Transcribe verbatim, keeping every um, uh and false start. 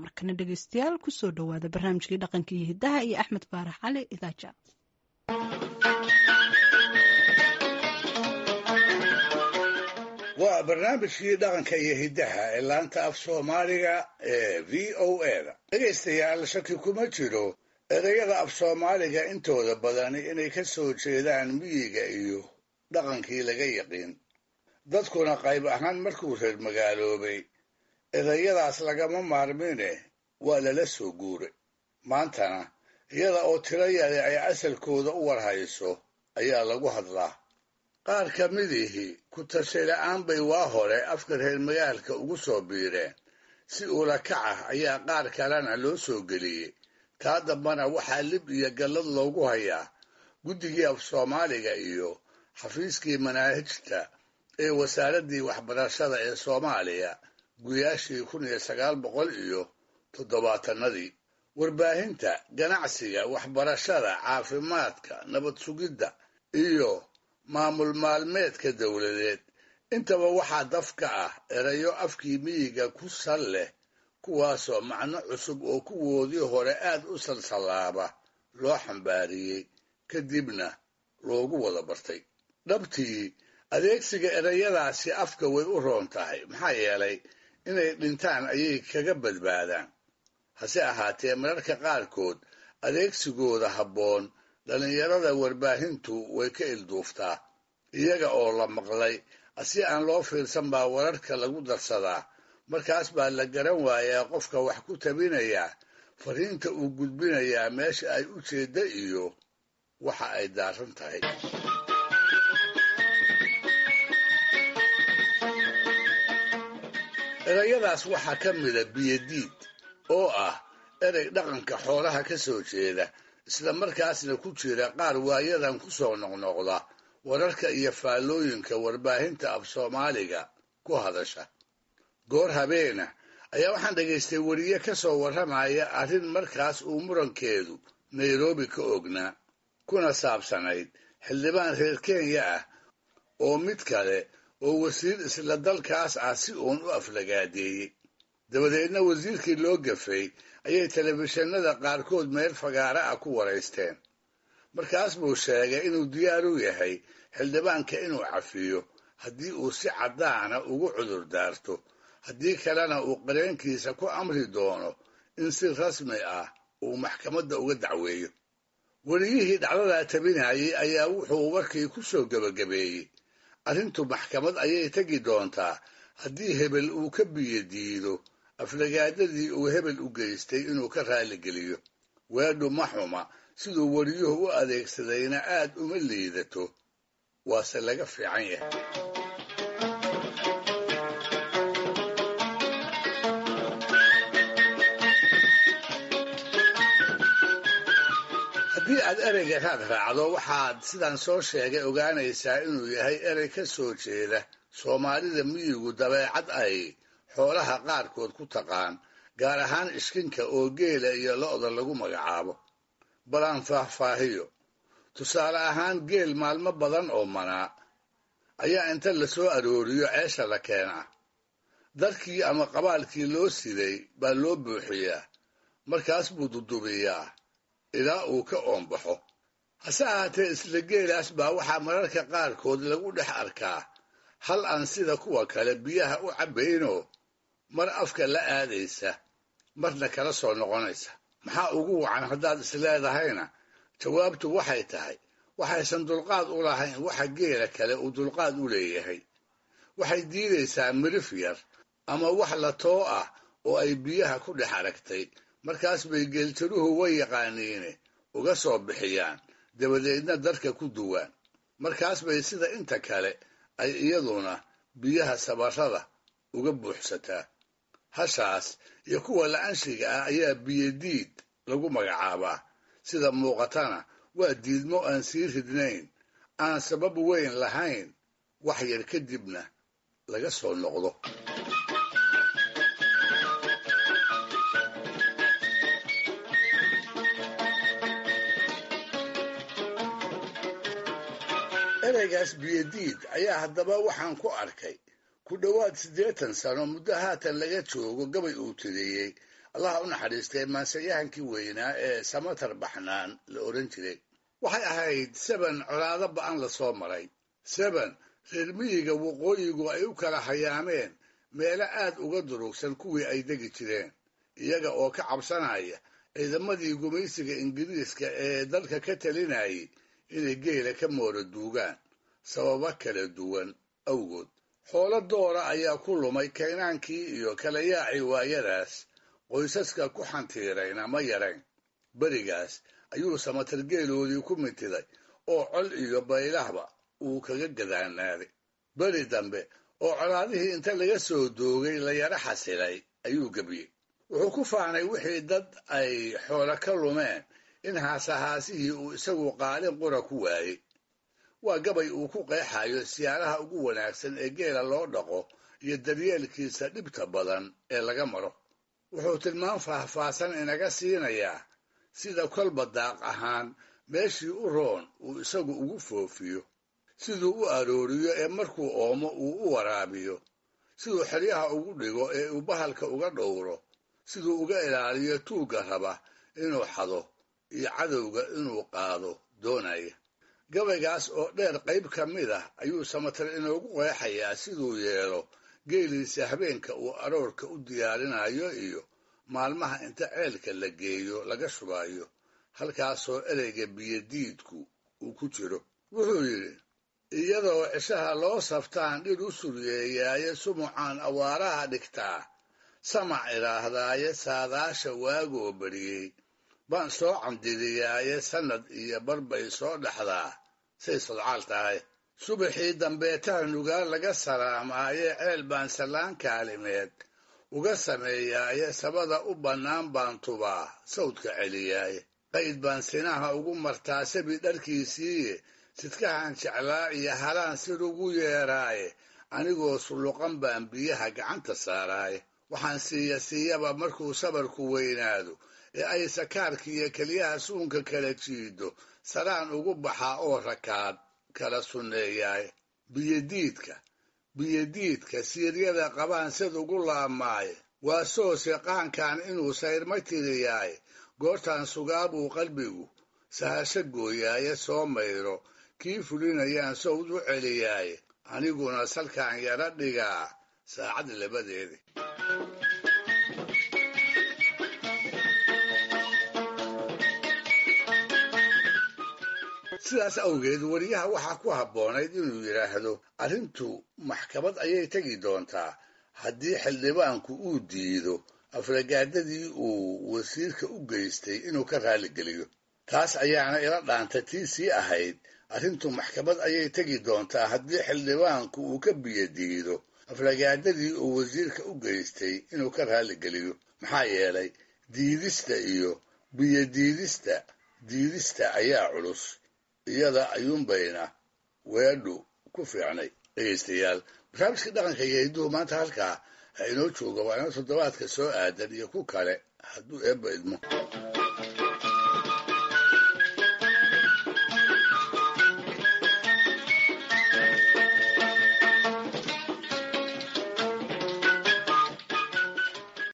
Markana dhegeystayaal, kusoo dhowaada barnaamijkii dhaqanka iyo hidaha iyo Axmed Faarax Cali Idaaja. Waa barnaamijkii dhaqanka iyo hiddaha ee laanta af soomaaliga ee V O A da. Dhegaystayaal, shaki kuma jiro ereyada af soomaaliga intooda badani inay ka soo jeedaan miyiga iyo dhaqankii laga yaqiin. Dadkuna qayb ahaan markuu reer magaaloobay ereyadaas lagama maarmine waa lala soo guuray. Maantana iyada oo tiro yari ay asalkooda u warhayso ayaa lagu hadlaa. Qaar ka midihii ku tashay la'aan bay waa hore afka reer magaalka ugu soo biireen, si ula kac ah ayaa qaar kalena loo soo geliyey. Taa dambana waxaa lib iyo gallad loogu hayaa guddigii af soomaaliga iyo xafiiskii manaahijta ee wasaaraddii waxbarashada ee Soomaaliya guyaashii kun iyo sagaal boqol iyo toddobaatanadii. Warbaahinta, ganacsiga, waxbarashada, caafimaadka, nabad sugidda iyo maamul maalmeedka dowladeed intaba waxaa daf ka ah erayo afkii miyiga ku sal leh, kuwaasoo macno cusub oo kuwoodii hore aad u salsallaaba loo xambaariyey, kadibna loogu wada bartay. Dhabtii adeegsiga ereyadaasi afka way u roon tahay, maxaa yeelay inay dhintaan ayay kaga badbaadaan. Hase ahaatee mararka qaarkood adeegsigooda habboon dhallinyarada warbaahintu way ka ilduuftaa. Iyaga oo la maqlay si aan loo fiirsan baa wararka lagu darsadaa, markaas baa la garan waayaa qofka wax ku tabinayaa fariinta uu gudbinayaa meesha ay u jeedda iyo waxa ay daaran tahay. Erayadaas waxaa ka mida biyodiid oo ah erey dhaqanka xoolaha ka soo jeeda, isla markaasna ku jira qaar waayadan ku soo noqnoqda wararka iyo faallooyinka warbaahinta af soomaaliga ku hadasha. Goor habeena ayaa waxaan dhegaystay weriye ka soo warramaya arrin markaas uu murankeedu Nairobi ka ognaa, kuna saabsanayd xildhibaan reer Kenya ah oo mid kale oo wasiir isla dalkaas ah si uun u aflagaadeeyey. Dabadeedna wasiirkii loo gafay ayay telefishinada qaarkood meel fagaara ah ku waraysteen. Markaas buu sheegay inuu diyaar u yahay xildhibaanka inuu cafiyo haddii uu si caddaana ugu cudur daarto, haddii kalena uu qareenkiisa ku amri doono in si rasmi ah uu maxkamadda uga dacweeyo. Weriyihii dhacdadaa tabinayay ayaa wuxuu warkii ku soo gebagabeeyey, arrintu maxkamad ayay tegi doontaa haddii hebel uu ka biyo diido aflagaadadii uu hebel u geystay inuu ka raaligeliyo. Weedhu ma xuma, siduu weriyuhu u adeegsadayna aad uma liidato, waase laga fiican yahay. Haddii aad ereyga raad raacdo, waxaad sidaan soo sheegay ogaanaysaa inuu yahay erey ka soo jeeda Soomaalida miyigu dabeecad ay xoolaha qaarkood ku taqaan, gaar ahaan iskinka oo geela iyo lo'da lagu magacaabo. Balaan faahfaahiyo. Tusaale ahaan, geel maalmo badan oo manaa ayaa inta la soo arooriyo ceesha la keenaa. Darkii ama qabaalkii loo siday baa loo buuxiyaa, markaas buu dudubiyaa ilaa uu ka oonbaxo. Hase ahaatee isla geelaas baa waxaa mararka qaarkood lagu dhex arkaa hal aan sida kuwa kale biyaha u cabbaynoo mar afka la aadaysa marna kala soo noqonaysa. Maxaa ugu wacan haddaad isleedahayna, jawaabtu waxay tahay waxaysan dulqaad u lahayn waxa geela kale uu dulqaad u leeyahay. Waxay diidaysaa mirif yar ama wax la too ah oo ay biyaha ku dhex aragtay, markaas bay geeltiruhu way yaqaaniine uga soo bixiyaan, dabadeedna darka ku duwaan. Markaas bay sida inta kale ay iyaduna biyaha sabarrada uga buuxsataa. Hashaas iyo kuwa la-anshiga ah ayaa biyodiid lagu magacaabaa. Sida muuqatana waa diidmo aan sii ridnayn, aan sabab weyn lahayn, wax yar kadibna laga soo noqdo. Ereygaas biyodiid ayaa haddaba waxaan ku arkay ku dhowaad siddeetan sano muddo haatan laga joogo gabay uu tiriyey Allaha u naxariistay maansayahankii weynaa ee Samatar Baxnaan la odhan jiray. Waxay ahayd seben colaado ba'an la soo maray, seben reer miyiga waqooyigu ay u kala hayaameen meelo aad uga durugsan kuwii ay degi jireen, iyaga oo ka cabsanaya ciidamadii gumaysiga Ingiriiska ee dalka ka talinayay inay geela ka moora duugaan sababo kala duwan awgood. Xoolo doora ayaa ku lumay kaynaankii iyo kala yaacii waayadaas, qoysaska ku xantiirayna ma yarayn. Berigaas ayuu Samatar geeloodii ku mintiday oo col iyo baylahba uu kaga gadaanaaday. Beri dambe oo colaadihii inta laga soo doogay la yara xasilay ayuu gebiyey. Wuxuu ku faanay wixii dad ay xoolo ka lumeen in haasahaasihii uu isagu qaalin qura ku waayey. Waa gabay uu ku qeexayo siyaalaha ugu wanaagsan ee geela loo dhaqo iyo daryeelkiisa dhibta badan ee laga maro. Wuxuu tilmaam faahfaahsan inaga siinayaa sida kolba daaq ahaan meeshii u roon uu isagu ugu foofiyo, siduu u arooriyo ee markuu oomo uu u waraabiyo, siduu xeryaha ugu dhigo ee uu bahalka uga dhowro, siduu uga ilaaliyo tuugga raba inuu xado iyo cadowga inuu qaado doonaya. Gabaygaas oo dheer qayb ka mid ah ayuu Samatar inoogu qeexayaa siduu yeelo geeliisa habeenka uu aroorka u diyaarinayo iyo maalmaha inta ceelka la geeyo laga shubayo, halkaasoo ereyga biyodiidku uu ku jiro. Wuxuu yidhi: iyadoo cishaha loo saftaan dhir u suryeeyaaye, sumucaan awaaraha dhigtaa, samac idhaahdaaye, saadaasha waagoo beriyey baan soo candidiyaaye, sannad iyo barbay soo dhexdaa say sodcaal tahay. Subaxii dambeetaha nugaal laga salaamaaye, ceel baan sallaan kaalimeed uga sameeyaaye, sabada u bannaan baan tubaa sawdka celiyaaye, qayd baan sinaha ugu martaa sabi dharkiisiiye, sidkahan jeclaa iyo halaan sir ugu yeeraaye, anigoo sulluqan baan biyaha gacanta saaraaye. Waxaan siiya siiyaba markuu sabarku weynaado ee ay sakaarka iyo keliyaha suunka kala jiido, saraan ugu baxaa oo rakaad kala sunneeyaaye. Biyodiidka biyodiidka siiryada qabaan sid ugu laabmaaye, waa soose qaankan inuu sayrma tiriyaaye, goortaan sugaabuu qalbigu sahasho gooyaaye, soo mayro kii fulinayaan sowd u celiyaaye, aniguna salkaan yara dhigaa saacad labadeedi. Sidaas awgeed weriyaha waxaa ku habboonayd inuu yidhaahdo arrintu maxkamad ayay tegi doontaa haddii xildhibaanku uu diido afragaadadii uu wasiirka u geystay inuu ka raaligeliyo. Taas ayaana ila dhaanta tii sii ahayd arrintu maxkamad ayay tegi doontaa haddii xildhibaanku uu ka biyodiido afragaadadii uu wasiirka u geystay inuu ka raaligeliyo. Maxaa yeelay diidista iyo biyodiidista diidista ayaa culus, iyada ayuunbayna weedhu ku fiicnay. Dhegaystayaal, barnaamijka dhaqanka iyo hidduhu maanta halkaa ha inoo jooga, waa inoo toddobaadka soo aadan iyo ku kale hadduu eebba idmo.